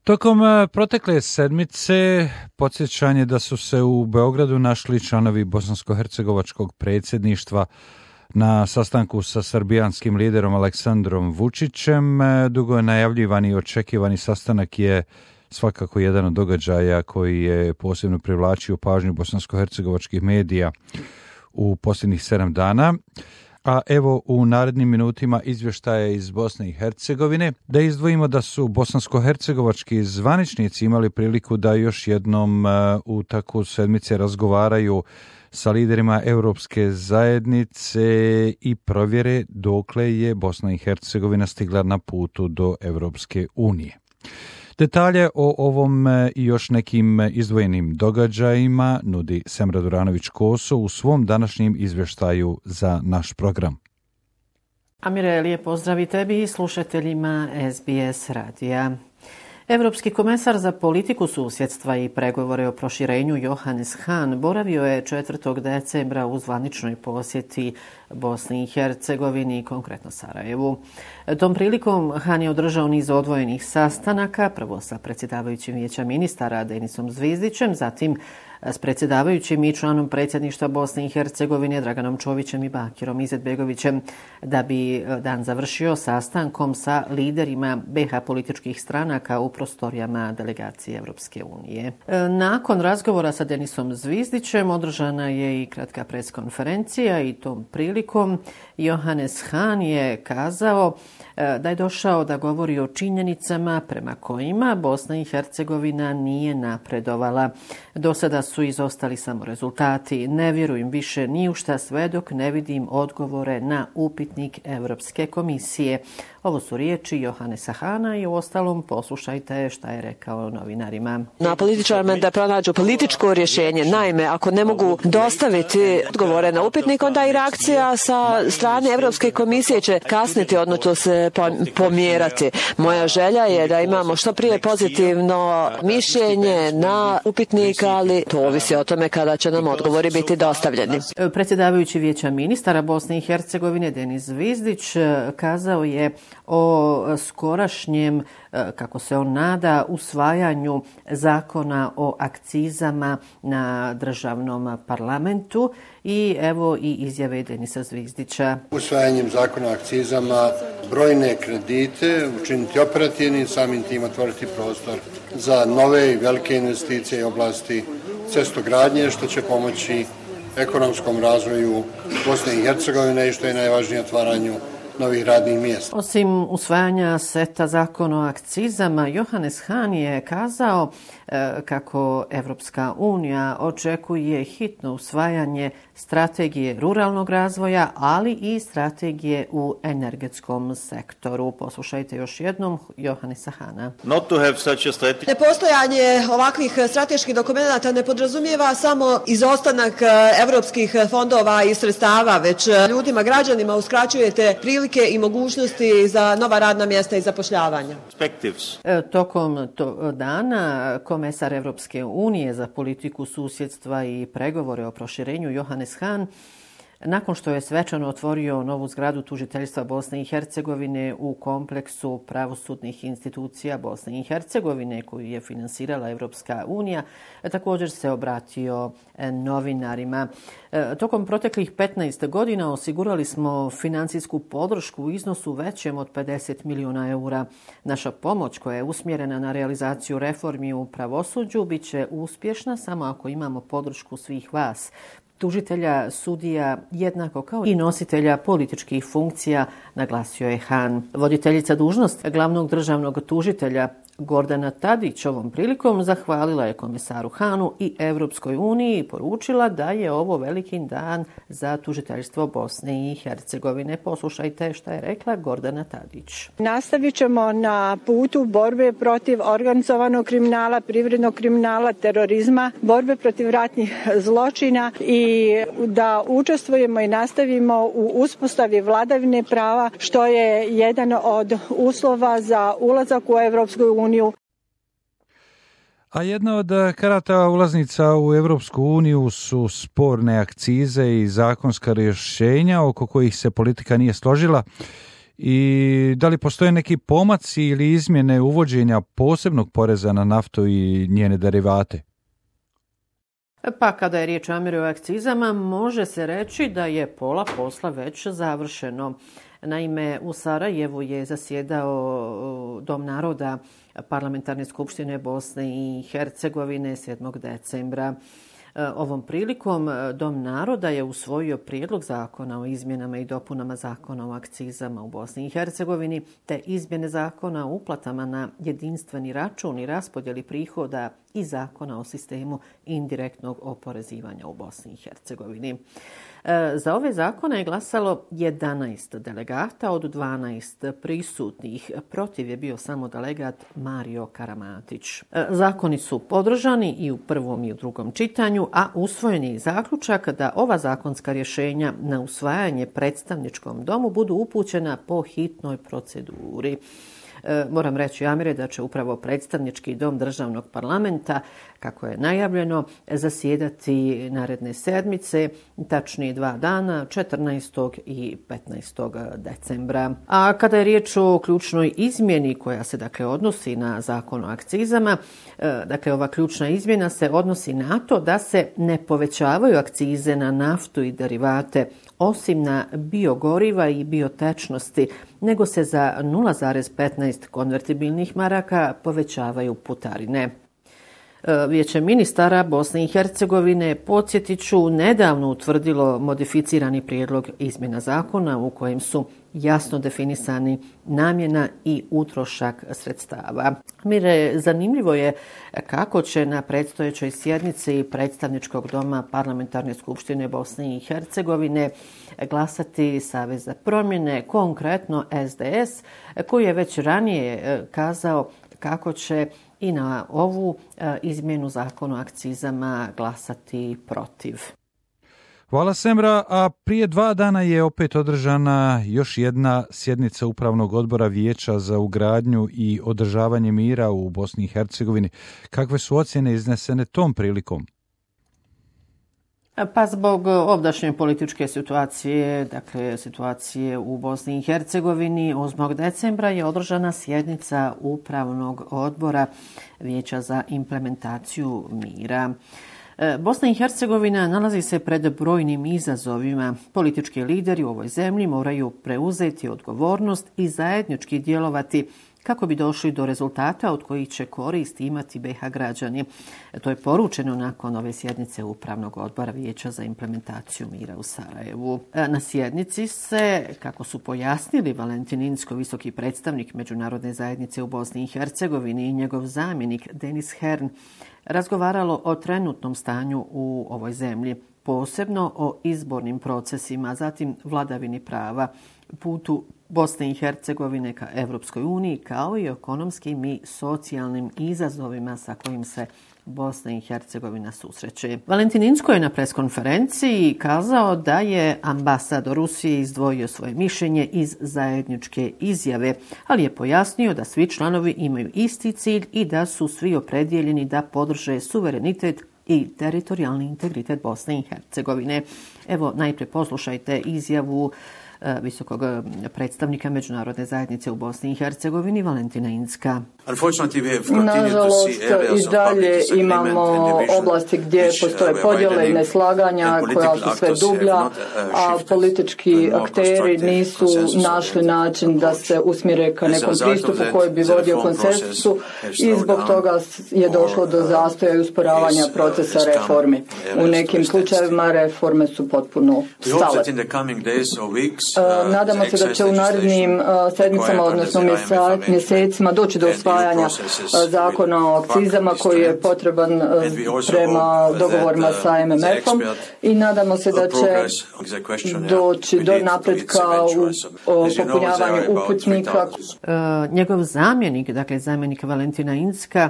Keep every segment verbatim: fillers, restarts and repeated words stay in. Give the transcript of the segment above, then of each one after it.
Tokom protekle sedmice podsjećanje da su se u Beogradu našli članovi bosansko-hercegovačkog predsjedništva na sastanku sa srbijanskim liderom Aleksandrom Vučićem. Dugo je najavljivani i očekivani sastanak je svakako jedan od događaja koji je posebno privlačio pažnju bosansko-hercegovačkih medija u posljednjih sedam dana. A evo u narednim minutima izvještaje iz Bosne i Hercegovine, da izdvojimo da su bosansko-hercegovački zvaničnici imali priliku da još jednom u takvu sedmice razgovaraju sa liderima Europske zajednice i provjere dokle je Bosna i Hercegovina stigla na putu do Europske unije. Detalje o ovom i još nekim izdvojenim događajima nudi Semra Duranović-Koso u svom današnjem izvještaju za naš program. Amire, lijep pozdrav i tebi i slušateljima S B S radija. Evropski komesar za politiku susjedstva i pregovore o proširenju Johannes Hahn boravio je četvrtog decembra u zvaničnoj posjeti Bosni i Hercegovini, konkretno Sarajevu. Tom prilikom Hahn je održao niz odvojenih sastanaka, prvo sa predsjedavajućim vijeća ministara Denisom Zvizdićem, zatim s predsjedavajućim i članom predsjedništva Bosne i Hercegovine Draganom Čovićem i Bakirom Izetbegovićem, da bi dan završio sastankom sa liderima B iH političkih stranaka u prostorijama delegacije Europske unije. Nakon razgovora sa Denisom Zvizdićem održana je i kratka preskonferencija i tom prilikom Johannes Hahn je kazao da je došao da govori o činjenicama prema kojima Bosna i Hercegovina nije napredovala. Do sada su izostali samo rezultati. Ne vjerujem više ni u šta sve dok ne vidim odgovore na upitnik Europske komisije. Ovo su riječi Johannesa Hahna i u ostalom poslušajte šta je rekao novinarima. Na političarima da pronađu političko rješenje. Naime, ako ne mogu dostaviti odgovore na upitnik, onda i reakcija sa strane Europske komisije će kasniti, odnosno se pomjerati. Moja želja je da imamo što prije pozitivno mišljenje na upitnik, ali to ovisi o tome kada će nam odgovori biti dostavljeni. Predsjedavajući vijeća ministara Bosne i Hercegovine Denis Zvizdić kazao je o skorašnjem, kako se on nada, usvajanju zakona o akcizama na državnom parlamentu i evo i izjave Denisa Zvizdića. Usvajanjem zakona o akcizama brojne kredite učiniti operativnim, samim tim otvoriti prostor za nove i velike investicije i oblasti cestogradnje, što će pomoći ekonomskom razvoju Bosne i Hercegovine i što je najvažnije otvaranju novih radnih mjesta. Osim usvajanja seta zakona o akcizama, Johannes Hahn je kazao e, kako Evropska unija očekuje hitno usvajanje strategije ruralnog razvoja, ali i strategije u energetskom sektoru. Poslušajte još jednom Johannesa Hahna. Nepostojanje ovakvih strateških dokumenata ne podrazumijeva samo izostanak evropskih fondova i sredstava, već ljudima, građanima uskraćujete prilike i mogućnosti za nova radna mjesta i zapošljavanja. E, tokom to dana komesar Evropske unije za politiku susjedstva i pregovore o proširenju Johannes Hahn, nakon što je svečano otvorio novu zgradu tužiteljstva Bosne i Hercegovine u kompleksu pravosudnih institucija Bosne i Hercegovine koju je finansirala Evropska unija, također se obratio novinarima. Tokom proteklih petnaest godina osigurali smo financijsku podršku u iznosu većem od pedeset milijuna eura. Naša pomoć koja je usmjerena na realizaciju reformi u pravosuđu bit će uspješna samo ako imamo podršku svih vas, tužitelja, sudija, jednako kao i nositelja političkih funkcija, naglasio je Hahn. Voditeljica dužnost glavnog državnog tužitelja Gordana Tadić ovom prilikom zahvalila je komisaru Hahnu i Europskoj uniji i poručila da je ovo veliki dan za tužiteljstvo Bosne i Hercegovine. Poslušajte šta je rekla Gordana Tadić. Nastavit ćemo na putu borbe protiv organizovanog kriminala, privrednog kriminala, terorizma, borbe protiv ratnih zločina i da učestvujemo i nastavimo u uspostavi vladavine prava, što je jedan od uslova za ulazak u Europsku uniju. A jedna od karata ulaznica u Europsku uniju su sporne akcize i zakonska rješenja oko kojih se politika nije složila i da li postoje neki pomaci ili izmjene uvođenja posebnog poreza na naftu i njene derivate? Pa kada je riječ o Amire o akcizama, može se reći da je pola posla već završeno. Naime, u Sarajevu je zasjedao Dom naroda Parlamentarne skupštine Bosne i Hercegovine sedmog decembra. Ovom prilikom Dom naroda je usvojio prijedlog zakona o izmjenama i dopunama zakona o akcizama u Bosni i Hercegovini, te izmjene zakona o uplatama na jedinstveni račun i raspodjeli prihoda i zakona o sistemu indirektnog oporezivanja u Bosni i Hercegovini. Za ove zakone je glasalo jedanaest delegata od dvanaest prisutnih. Protiv je bio samo delegat Mario Karamatić. Zakoni su podržani i u prvom i u drugom čitanju, a usvojen je zaključak da ova zakonska rješenja na usvajanje predstavničkom domu budu upućena po hitnoj proceduri. Moram reći, Amire, da će upravo predstavnički dom državnog parlamenta, kako je najavljeno, zasjedati naredne sedmice, tačnije dva dana, četrnaestog i petnaestog decembra. A kada je riječ o ključnoj izmjeni koja se dakle odnosi na zakon o akcizama, dakle ova ključna izmjena se odnosi na to da se ne povećavaju akcize na naftu i derivate, osim na biogoriva i biotečnosti, nego se za nula zarez petnaest konvertibilnih maraka povećavaju putarine. Vijeće ministara Bosne i Hercegovine, podsjetit ću, nedavno utvrdilo modificirani prijedlog izmjena zakona u kojem su jasno definisani namjena i utrošak sredstava. Mire, zanimljivo je kako će na predstojećoj sjednici predstavničkog doma Parlamentarne skupštine Bosne i Hercegovine glasati Savez za promjene, konkretno S D S, koji je već ranije kazao kako će i na ovu izmjenu zakona o akcizama glasati protiv. Hvala Semra, a prije dva dana je opet održana još jedna sjednica Upravnog odbora Vijeća za ugradnju i održavanje mira u Bosni i Hercegovini. Kakve su ocjene iznesene tom prilikom? Pa zbog ovdašnje političke situacije, dakle situacije u Bosni i Hercegovini, osmog decembra je održana sjednica Upravnog odbora Vijeća za implementaciju mira. Bosna i Hercegovina nalazi se pred brojnim izazovima. Politički lideri u ovoj zemlji moraju preuzeti odgovornost i zajednički djelovati kako bi došli do rezultata od kojih će korist imati B iH građani. To je poručeno nakon ove sjednice Upravnog odbora Vijeća za implementaciju mira u Sarajevu. Na sjednici se, kako su pojasnili Valentin Incko, visoki predstavnik Međunarodne zajednice u Bosni i Hercegovini, i njegov zamjenik Denis Hern, razgovaralo o trenutnom stanju u ovoj zemlji, posebno o izbornim procesima, zatim vladavini prava, putu Bosne i Hercegovine ka Evropskoj uniji, kao i ekonomskim i socijalnim izazovima sa kojim se Bosna i Hercegovina susreće. Valentin Incko je na preskonferenciji kazao da je ambasador Rusije izdvojio svoje mišljenje iz zajedničke izjave, ali je pojasnio da svi članovi imaju isti cilj i da su svi opredjeljeni da podrže suverenitet i teritorijalni integritet Bosne i Hercegovine. Evo, najprije poslušajte izjavu visokog predstavnika Međunarodne zajednice u Bosni i Hercegovini, Valentina Incka. Nažalost, i dalje imamo oblasti gdje postoje podjele i neslaganja koja su sve dublja, a politički akteri nisu našli način da se usmjere ka nekom pristupu koji bi vodio konsenzusu i zbog toga je došlo do zastoja i usporavanja procesa reformi. U nekim slučajevima reforme su potpuno stale. Nadamo se da će u narednim sedmicama, odnosno mjesecima, doći do usvajanja zakona o akcizama koji je potreban prema dogovorima sa M M F-om i nadamo se da će doći do napretka u popunjavanju uputnika. Njegov zamjenik, dakle zamjenik Valentina Incka,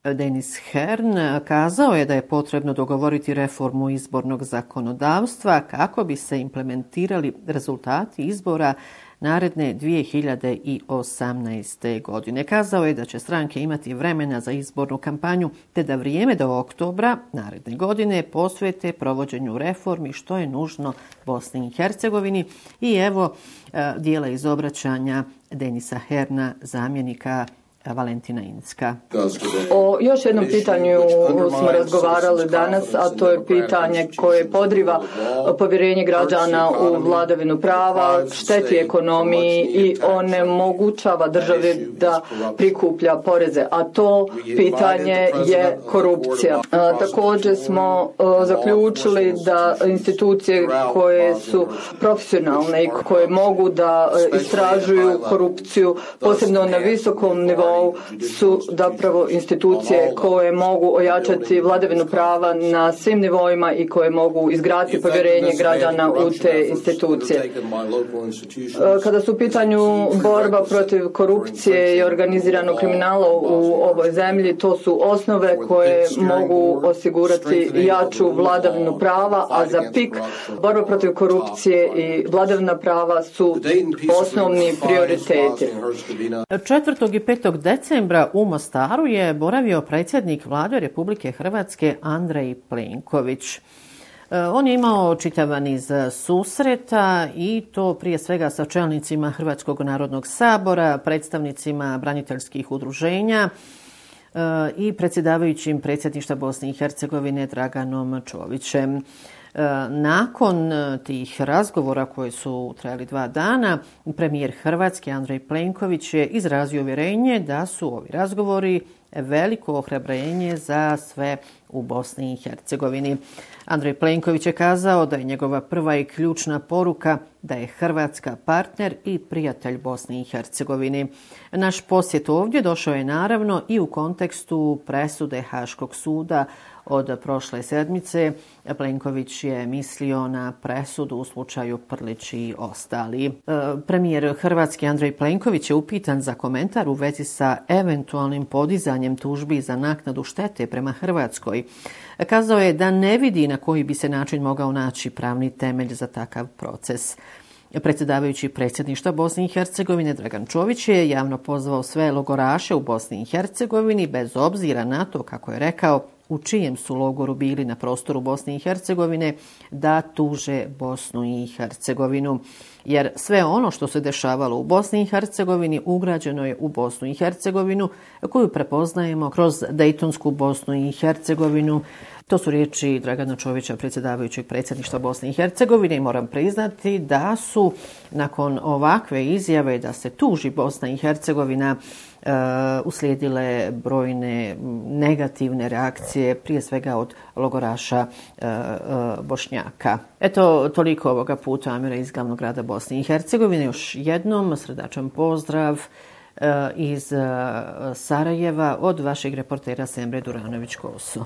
Denis Hern kazao je da je potrebno dogovoriti reformu izbornog zakonodavstva kako bi se implementirali rezultati izbora naredne dvije hiljade osamnaeste. godine. Kazao je da će stranke imati vremena za izbornu kampanju te da vrijeme do oktobra naredne godine posvete provođenju reformi što je nužno Bosni i Hercegovini. I evo dijela iz obraćanja Denisa Herna, zamjenika Valentina Incka. O još jednom pitanju smo razgovarali danas, a to je pitanje koje podriva povjerenje građana u vladavinu prava, šteti ekonomiji i onemogućava državi da prikuplja poreze, a to pitanje je korupcija. A, također smo a, zaključili da institucije koje su profesionalne i koje mogu da a, istražuju korupciju, posebno na visokom nivou, su zapravo institucije koje mogu ojačati vladavinu prava na svim nivoima i koje mogu izgraditi povjerenje građana u te institucije. Kada su u pitanju borba protiv korupcije i organiziranog kriminala u ovoj zemlji, to su osnove koje mogu osigurati jaču vladavinu prava, a za P I K borba protiv korupcije i vladavina prava su osnovni prioriteti. četvrtog i petog decembra u Mostaru je boravio predsjednik Vlade Republike Hrvatske Andrej Plenković. On je imao čitav niz susreta i to prije svega sa čelnicima Hrvatskog narodnog sabora, predstavnicima braniteljskih udruženja i predsjedavajućim predsjedništva Bosne i Hercegovine Draganom Čovićem. Nakon tih razgovora koji su trajali dva dana, premijer Hrvatske Andrej Plenković je izrazio uvjerenje da su ovi razgovori veliko ohrabrenje za sve u Bosni i Hercegovini. Andrej Plenković je kazao da je njegova prva i ključna poruka da je Hrvatska partner i prijatelj Bosni i Hercegovini. Naš posjet ovdje došao je naravno i u kontekstu presude Haškog suda od prošle sedmice. Plenković je mislio na presudu u slučaju Prlić i ostali. E, premijer Hrvatske Andrej Plenković je upitan za komentar u vezi sa eventualnim podizanjem tužbi za naknadu štete prema Hrvatskoj. Kazao je da ne vidi na koji bi se način mogao naći pravni temelj za takav proces. Predsjedavajući predsjedništva Bosne i Hercegovine Dragan Čović je javno pozvao sve logoraše u Bosni i Hercegovini, bez obzira na to, kako je rekao, u čijem su logoru bili na prostoru Bosne i Hercegovine, da tuže Bosnu i Hercegovinu. Jer sve ono što se dešavalo u Bosni i Hercegovini ugrađeno je u Bosnu i Hercegovinu, koju prepoznajemo kroz Dejtonsku Bosnu i Hercegovinu. To su riječi Dragana Čovića, predsjedavajućeg predsjedništva Bosne i Hercegovine, i moram priznati da su nakon ovakve izjave da se tuži Bosna i Hercegovina Uh, uslijedile brojne negativne reakcije, prije svega od logoraša uh, uh, Bošnjaka. Eto, toliko ovoga puta Amira iz glavnog grada Bosne i Hercegovine. Još jednom srdačan pozdrav uh, iz uh, Sarajeva od vašeg reportera Semre Duranović-Koso.